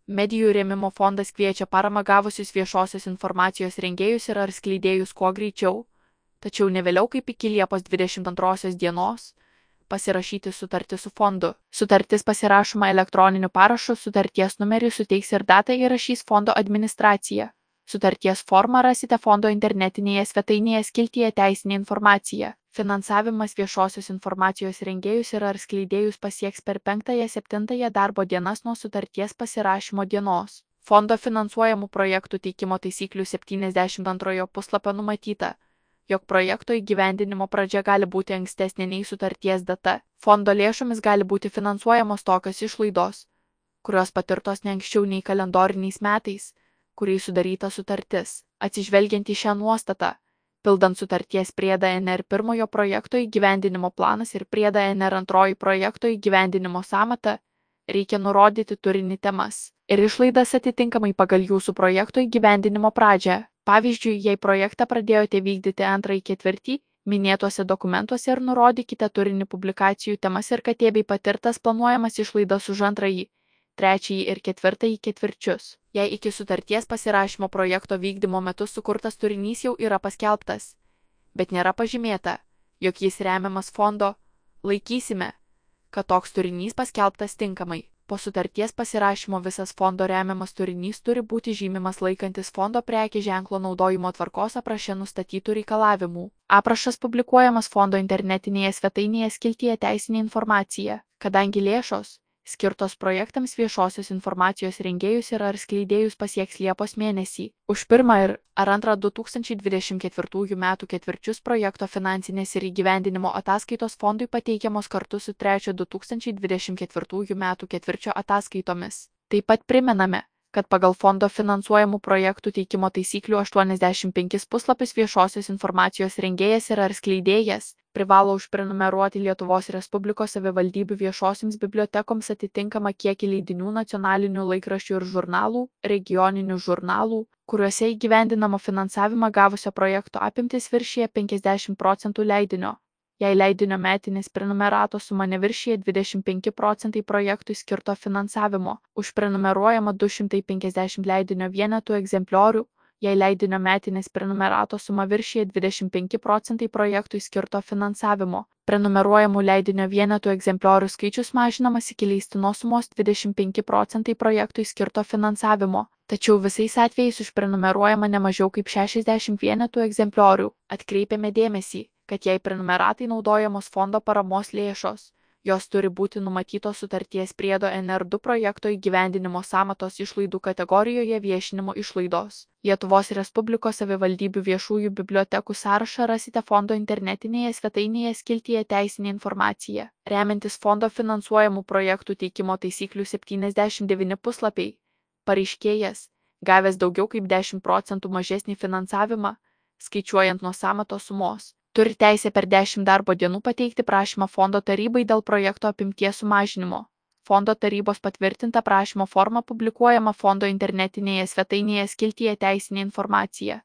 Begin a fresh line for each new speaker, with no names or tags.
Medijų rėmimo fondas kviečia paramą gavusius viešosios informacijos rengėjus ir ar skleidėjus kuo greičiau, tačiau ne vėliau kaip iki Liepos 22 dienos, pasirašyti sutartį su fondu. Sutartis pasirašoma elektroniniu parašu, sutarties numerį suteiks ir datą įrašys fondo administracija. Sutarties formą rasite fondo internetinėje svetainėje skiltyje Teisinė informacija. Finansavimas viešosios informacijos rengėjus ir ar skleidėjus pasieks per 5-7 darbo dienas nuo sutarties pasirašymo dienos. Fondo finansuojamų projektų teikimo taisyklių 72 puslapio numatyta, jog projekto įgyvendinimo pradžia gali būti ankstesnė nei sutarties data. Fondo lėšomis gali būti finansuojamos tokios išlaidos, kurios patirtos ne anksčiau nei kalendoriniais metais, kuriais sudaryta sutartis. Atsižvelgiant į šią nuostatą, pildant sutarties priedą NR pirmojo projekto įgyvendinimo planas ir priedą NR antroji projekto įgyvendinimo sąmata, reikia nurodyti turinį, temas ir išlaidas atitinkamai pagal jūsų projekto įgyvendinimo pradžią. Pavyzdžiui, jei projektą pradėjote vykdyti 2/4, minėtuose dokumentuose ir nurodykite turinį, publikacijų temas ir katė bei patirtas planuojamas išlaidas už 2., 3. ir 4. ketvirčius. Jei iki sutarties pasirašymo projekto vykdymo metu sukurtas turinys jau yra paskelbtas, bet nėra pažymėta, jog jis remiamas fondo, laikysime, kad toks turinys paskelbtas tinkamai. Po sutarties pasirašymo visas fondo remiamas turinys turi būti žymimas laikantis fondo prekės ženklo naudojimo tvarkos apraše nustatytų reikalavimų. Aprašas publikuojamas fondo internetinėje svetainėje skiltyje Teisinė informacija. Kadangi lėšos skirtos projektams viešosios informacijos rengėjus ir ar skleidėjus pasieks Liepos mėnesį, už 1 ir ar 2 2024 metų ketvirčius projekto finansinės ir įgyvendinimo ataskaitos fondui pateikiamos kartu su 3 2024 metų ketvirčio ataskaitomis. Taip pat primename, kad pagal fondo finansuojamų projektų teikimo taisyklių 85 puslapius viešosios informacijos rengėjas ir ar skleidėjas privalo užprenumeruoti Lietuvos Respublikos savivaldybių viešosioms bibliotekoms atitinkamą kiekį leidinių, nacionalinių laikraščių ir žurnalų, regioninių žurnalų, kuriuose įgyvendinamo finansavimą gavusio projekto apimtis viršyje 50% leidinio. Jei leidinio metinės prenumeratos suma neviršyje 25% projektui skirto finansavimo, užprenumeruojama 250 leidinio vienetų egzempliorių. Jei leidinio metinės prenumeratos suma viršyje 25% projektui skirto finansavimo, prenumeruojamų leidinio vienetų egzempliorių skaičius mažinamas iki leistinos sumos 25% projektui skirto finansavimo, tačiau visais atvejais užprenumeruojama ne mažiau kaip 60 vienetų egzempliorių. Atkreipiame dėmesį, kad jei prenumeratai naudojamos fondo paramos lėšos, jos turi būti numatytos sutarties priedo NR2 projekto įgyvendinimo sąmatos išlaidų kategorijoje viešinimo išlaidos. Lietuvos Respublikos savivaldybių viešųjų bibliotekų sąrašą rasite fondo internetinėje svetainėje skiltyje Teisinė informacija. Remiantis fondo finansuojamų projektų teikimo taisyklių 79 puslapiai, pareiškėjas, gavęs daugiau kaip 10% mažesnį finansavimą, skaičiuojant nuo sąmatos sumos, turi teisę per 10 darbo dienų pateikti prašymą fondo tarybai dėl projekto apimties sumažinimo. Fondo tarybos patvirtinta prašymo forma publikuojama fondo internetinėje svetainėje skiltyje Teisinė informacija.